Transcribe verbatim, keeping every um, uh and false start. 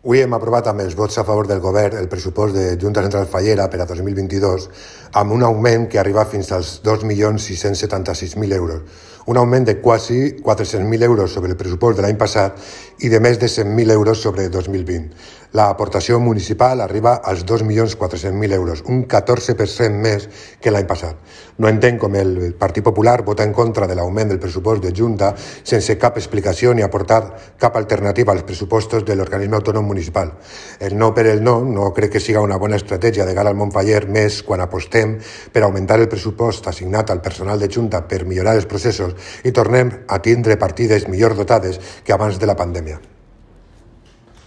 Avui hem aprovat amb els vots a favor del Govern el pressupost de Junta Central Fallera per a dos mil vint-i-dos amb un augment que arriba fins als dos milions sis-cents setanta-sis mil euros, un augment de quasi quatre-cents mil euros sobre el pressupost de l'any passat i de més de cent mil euros sobre dos mil vint. L'aportació municipal arriba als dos milions quatre-cents mil euros, un catorze per cent més que l'any passat. No entenc com el Partit Popular vota en contra de l'augment del pressupost de Junta sense cap explicació ni aportar cap alternativa als pressupostos de l'organisme autònom municipal. El no per el no no crec que siga una bona estratègia de cara al Montfaller, més quan apostem per augmentar el pressupost assignat al personal de Junta per millorar els processos i tornem a tindre partides millor dotades que abans de la pandèmia.